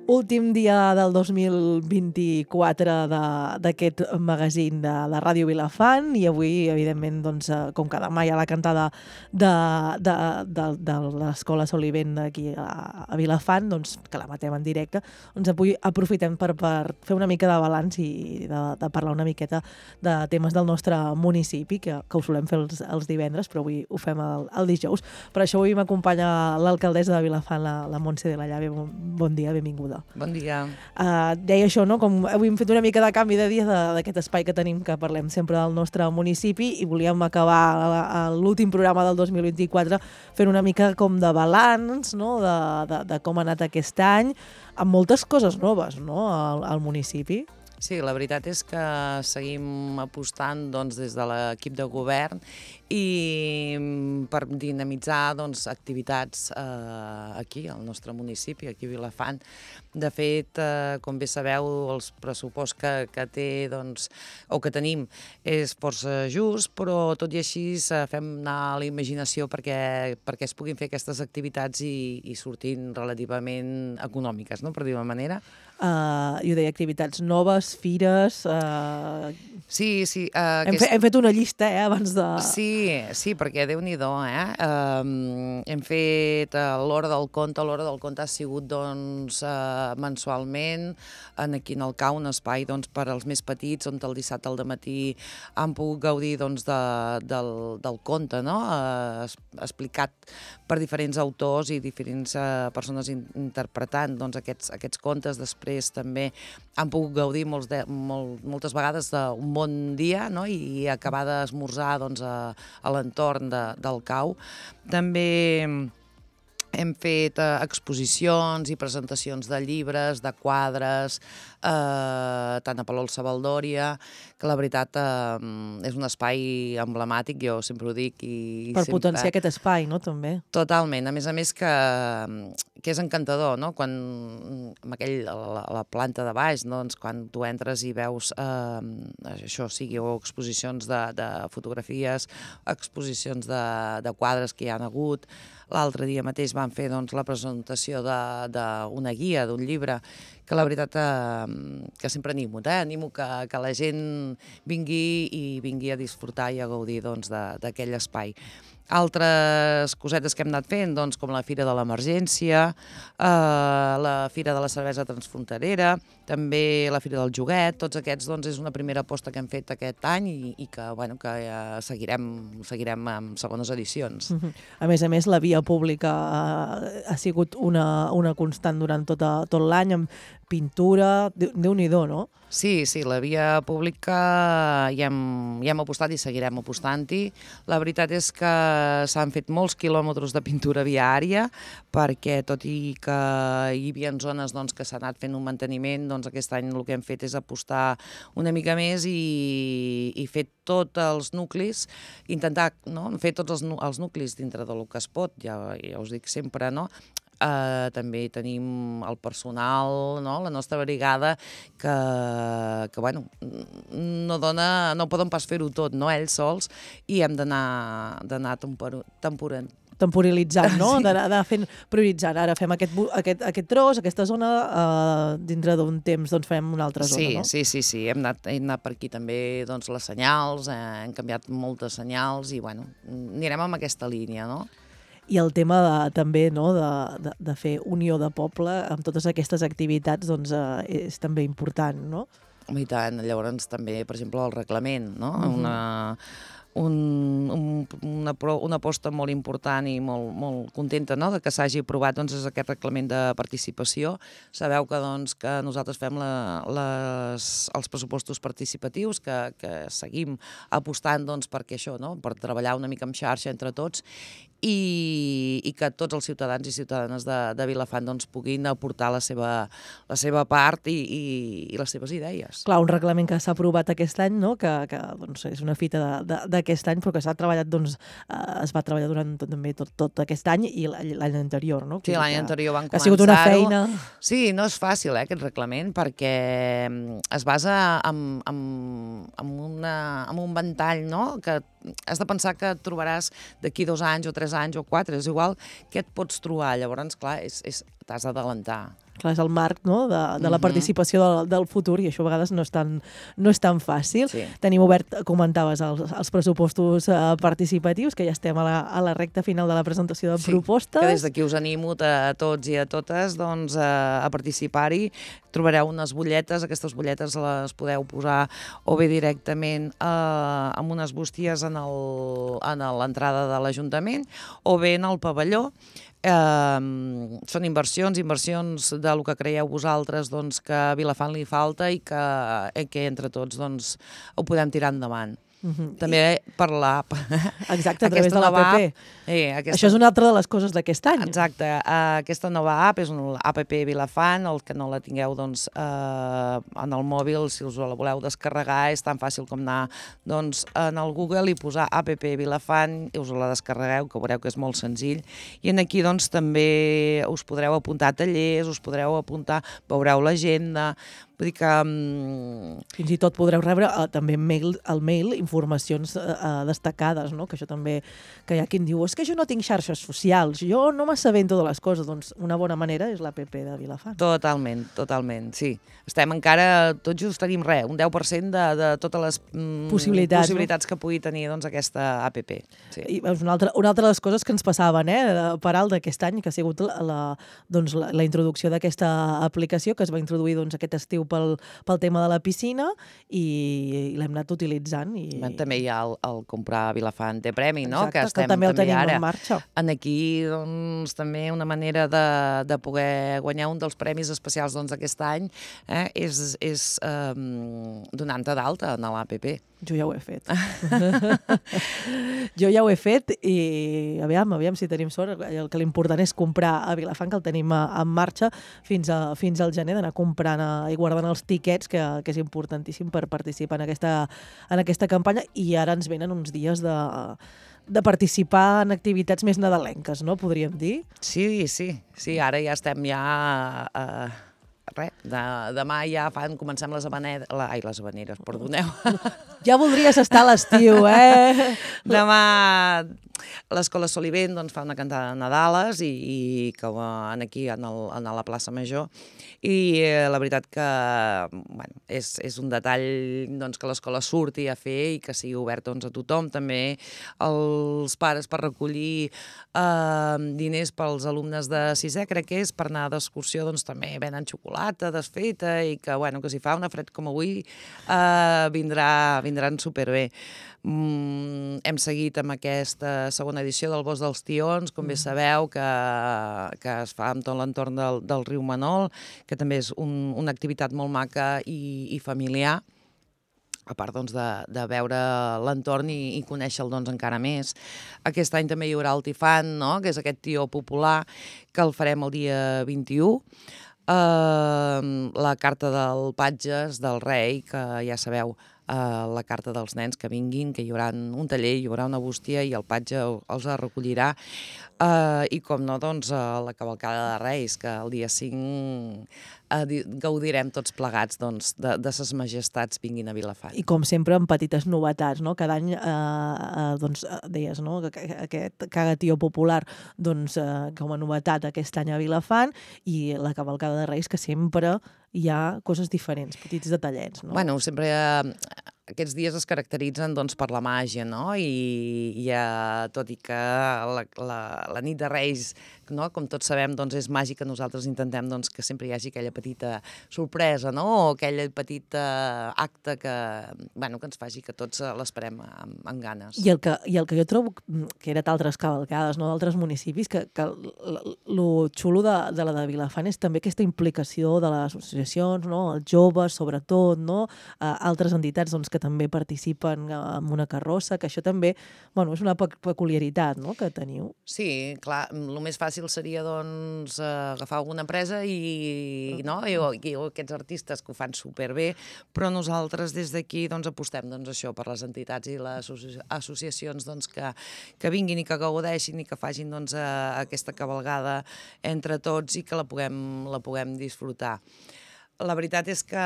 Últim dia del 2024 d'aquest magazín de Ràdio Vilafant i avui, evidentment, doncs, com cada mai a la cantada de l'Escola Solivent aquí a Vilafant, doncs, que la matem en directe, doncs avui aprofitem per fer una mica de balanç i de parlar una miqueta de temes del nostre municipi, que ho solem fer els divendres, però avui ho fem el dijous. Per això avui m'acompanya l'alcaldessa de Vilafant, la Montse de la Llave. Bon dia, benvinguda. Bon dia. Deia això, no? Com avui hem fet una mica de canvi de dia d'aquest espai que tenim, que parlem sempre del nostre municipi, i volíem acabar l'últim programa del 2024 fent una mica com de balanç, no? de com ha anat aquest any, amb moltes coses noves, no? al municipi. Sí, la veritat és que seguim apostant doncs, des de l'equip de govern i per dinamitzar doncs, activitats aquí, al nostre municipi, aquí a Vilafant. De fet, com bé sabeu, els pressupost que té, doncs, o que tenim és força just, però tot i així fem anar la imaginació perquè es puguin fer aquestes activitats i sortin relativament econòmiques, no? Per dir-ho d'una manera. Jo deia activitats noves, fires... Sí. Hem fet una llista, abans de... Sí, perquè Déu-n'hi-do, Hem fet l'Hora del Conte. L'Hora del Conte ha sigut, doncs, mensualment, aquí en el CAU, un espai, doncs, per als més petits, on el dissabte al dematí han pogut gaudir, doncs, del conte, no? Explicat per diferents autors i diferents persones interpretant, doncs, aquests contes. Després també han pogut gaudir moltes vegades d'un bon dia, no? I acabar d'esmorzar, doncs, a l'entorn del CAU. També hem fet exposicions i presentacions de llibres, de quadres, tant a Palol Savaldòria, que la veritat és un espai emblemàtic, jo sempre ho dic. Per potenciar aquest espai, no?, també. Totalment. A més que és encantador, no?, quan a la planta de baix, doncs, quan tu entres i veus això, sigui o exposicions de fotografies, exposicions de quadres que hi ha hagut. L'altre dia mateix van fer, doncs, la presentació d'una guia, d'un llibre, que la veritat que sempre animo, animo que la gent vingui a disfrutar i a gaudir, doncs, d'aquell espai. Altres cosetes que hem anat fent, doncs, com la Fira de l'Emergència, la Fira de la Cervesa Transfronterera, també la Fira del Joguet. Tots aquests, doncs, és una primera aposta que hem fet aquest any i que seguirem amb segones edicions. A més, la via pública ha sigut una constant durant tot l'any, amb pintura, Déu-n'hi-do, no? Sí, la via pública hi hem apostat i seguirem apostant-hi. La veritat és que s'han fet molts quilòmetres de pintura viària, perquè tot i que hi havia zones, doncs, que s'ha anat fent un manteniment, doncs aquest any el que hem fet és apostar una mica més i fer tots els nuclis, intentar, no?, fer tots els nuclis dintre del que es pot, ja us dic sempre, no?, també tenim el personal, no?, la nostra brigada, que bueno, no poden pas fer-ho tot, no?, ells sols, i hem d'anar temporalitzant, no? Sí. D'anar prioritzant. Ara fem aquest tros, aquesta zona, dintre d'un temps doncs farem una altra zona, no? Sí. Hem anat per aquí també, doncs, les senyals, hem canviat moltes senyals i, bueno, anirem amb aquesta línia, no? I el tema també, no?, de fer unió de poble amb totes aquestes activitats, doncs, és també important, no? I tant. Llavors també, per exemple, el reglament, no? Una aposta molt important i molt contenta, no?, de que s'hagi aprovat, doncs, és aquest reglament de participació. Sabeu que nosaltres fem els pressupostos participatius, que seguim apostant, doncs, perquè això, no?, per treballar una mica en xarxa entre tots i que tots els ciutadans i ciutadanes de Vilafant, doncs, puguin aportar la seva part i les seves idees. Clar, un reglament que s'ha aprovat aquest any, no?, que doncs, és una fita d'aquest any, però que s'ha treballat, doncs, es va treballar durant també tot aquest any i l'any anterior, no? Sí, l'any anterior van començar-ho. Ha sigut una feina... Sí, no és fàcil, aquest reglament, perquè es basa en un ventall, no?, que has de pensar que et trobaràs d'aquí 2 anys o 3 anys o 4, és igual què et pots trobar. Llavors, clar, t'has d'adelantar. clar, és el marc, no?, de la participació del futur, i això a vegades no és tan fàcil. Sí. Tenim obert, comentaves, els pressupostos participatius, que ja estem a la recta final de la presentació de propostes. Que des d'aquí us animo a tots i a totes doncs, a participar-hi. Trobareu unes butlletes, aquestes butlletes les podeu posar o bé directament amb unes bústies a l'entrada de l'Ajuntament o bé en el pavelló. Són inversions del que creieu vosaltres doncs, que a Vilafant li falta i que entre tots doncs, ho podem tirar endavant. També per l'app. Exacte, a través de l'APP. Això és una altra de les coses d'aquest any. Exacte. Aquesta nova app és una app Vilafant, el que no la tingueu doncs, en el mòbil, si us la voleu descarregar, és tan fàcil com anar doncs, en el Google i posar app Vilafant, i us la descarregueu, que veureu que és molt senzill. I aquí doncs, també us podreu apuntar a tallers, us podreu apuntar, veureu l'agenda. Vull dir que... Fins i tot podreu rebre també al mail informacions destacades, no? Que això també, que hi ha qui em diu, és que jo no tinc xarxes socials, jo no m'assabento de les coses. Doncs una bona manera és l'APP de Vilafant. Totalment, sí. Estem encara, tot just tenim un 10% de totes les possibilitats que pugui tenir doncs, aquesta APP. Sí. I una altra de les coses que ens passaven per alt d'aquest any, que ha sigut la introducció d'aquesta aplicació, que es va introduir doncs, aquest estiu pel tema de la piscina, i l'hem anat utilitzant. També hi ha el comprar Vilafant té premi, no? Exacte, que també el tenim en marxa. Aquí doncs, també una manera de poder guanyar un dels premis especials d'aquest any és donant-te d'alta en l'APP. Jo ja ho he fet. I aviam si tenim sort. El que l'important és comprar a Vilafant, que el tenim en marxa fins al gener, d'anar comprant i guardant els tiquets, que és importantíssim per participar en aquesta campanya. I ara ens venen uns dies de participar en activitats més nadalenques, no? Podríem dir? Sí, ara ja estem demà ja comencem les havaneres, perdoneu. Ja voldries estar a l'estiu, eh? Demà l'Escola Solivent fa una cantada de Nadales i que van aquí a la plaça Major, i la veritat que és un detall que l'escola surti a fer i que sigui obert a tothom. També els pares per recollir diners pels alumnes de sisè, crec que és, per anar d'excursió, també venen xocolata desfeta i que si fa una fred com avui vindran superbé. Hem seguit amb aquesta segona edició del Bosc dels Tions, com bé sabeu, que es fa amb tot l'entorn del riu Manol, que també és una activitat molt maca i familiar, a part de veure l'entorn i conèixer-lo encara més. Aquest any també hi haurà el Tifant, que és aquest tió popular, que el farem el dia 21. La carta del Patges, del Rei, que ja sabeu, la carta dels nens que vinguin, que hi haurà un taller, hi haurà una bústia i el Patge els recollirà. I com no, la cavalcada de Reis, que el dia 5 gaudirem tots plegats de ses majestats vinguin a Vilafant. I com sempre amb petites novetats, no? Cada any deies, no? Que aquest cagatió popular com a novetat aquest any a Vilafant, i la cavalcada de Reis, que sempre hi ha coses diferents, petits detallets, no? Sempre aquests dies es caracteritzen per la màgia, no? I tot i que la nit de Reis, com tots sabem, és màgica, nosaltres intentem que sempre hi hagi aquella petita sorpresa, no? O aquell petit acte que ens faci que tots l'esperem amb ganes. I el que jo trobo que era d'altres cavalcades, no? D'altres municipis, que lo xulo de la de Vilafant és també aquesta implicació de les associacions, no? Els joves, sobretot, no? Altres entitats que també participen en una carrossa, que això també és una peculiaritat, no? Que teniu. Sí, clar, el més fàcil seria agafar alguna empresa i aquests artistes que ho fan superbé, però nosaltres des d'aquí apostem això per les entitats i les associacions que vinguin i que gaudeixin i que facin aquesta cavalgada entre tots i que la puguem disfrutar. La veritat és que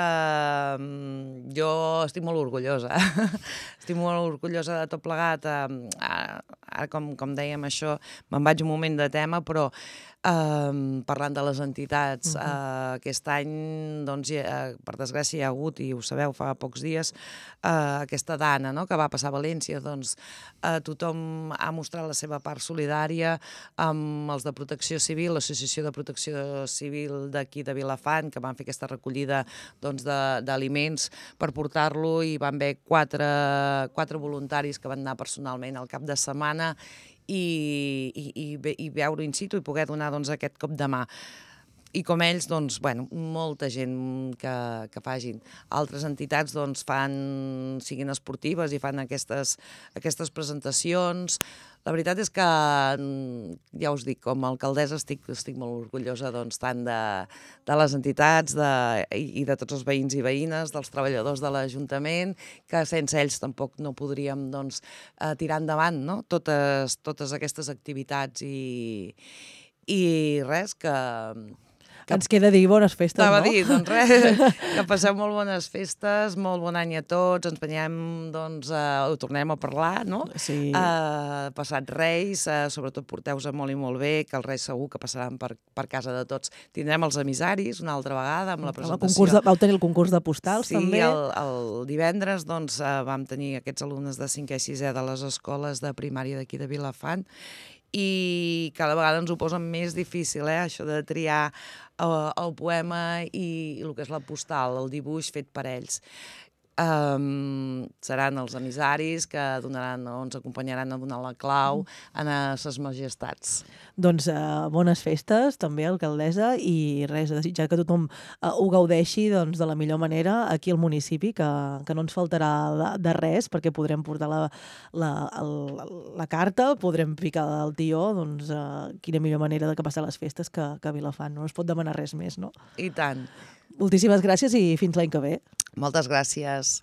jo estic molt orgullosa. Estic molt orgullosa de tot plegat. ara com dèiem això, me'n vaig un moment de tema, però parlant de les entitats, aquest any, doncs, per desgràcia, hi ha hagut, i ho sabeu, fa pocs dies, aquesta dana, no?, que va passar a València, doncs tothom ha mostrat la seva part solidària amb els de Protecció Civil, l'Associació de Protecció Civil d'aquí de Vilafant, que van fer aquesta recollida doncs, d'aliments per portar-lo, i van haver quatre voluntaris que van anar personalment al cap de setmana i veure in situ i poder donar doncs, aquest cop de mà. I com ells, doncs, bueno, molta gent que facin. Altres entitats doncs, siguin esportives i fan aquestes presentacions. La veritat és que, ja us dic, com a alcaldessa estic molt orgullosa doncs, tant de les entitats i de tots els veïns i veïnes, dels treballadors de l'Ajuntament, que sense ells tampoc no podríem doncs, tirar endavant, no?, totes aquestes activitats i res, que ens queda dir bones festes, Estava no? a dir, doncs res, que passeu molt bones festes, molt bon any a tots, ens veiem, doncs, ho tornem a parlar, no? Sí. Passat Reis, sobretot porteu-se molt i molt bé, que els Reis segur que passaran per casa de tots. Tindrem els emissaris una altra vegada amb la presentació. Vau tenir el concurs de postals, també? Sí, el divendres doncs, vam tenir aquests alumnes de 5è i 6è de les escoles de primària d'aquí de Vilafant, i cada vegada ens ho posen més difícil, això de triar el poema i el que és la postal, el dibuix fet per ells. Seran els emissaris que ens acompanyaran a donar la clau a ses majestats. Doncs bones festes, també, alcaldessa, i res, desitjar que tothom ho gaudeixi doncs, de la millor manera aquí al municipi, que no ens faltarà de res, perquè podrem portar la carta, podrem picar el tió, doncs quina millor manera de que passar les festes que a Vilafant. No es pot demanar res més, no? I tant. Moltíssimes gràcies i fins l'any que ve. Moltes gràcies.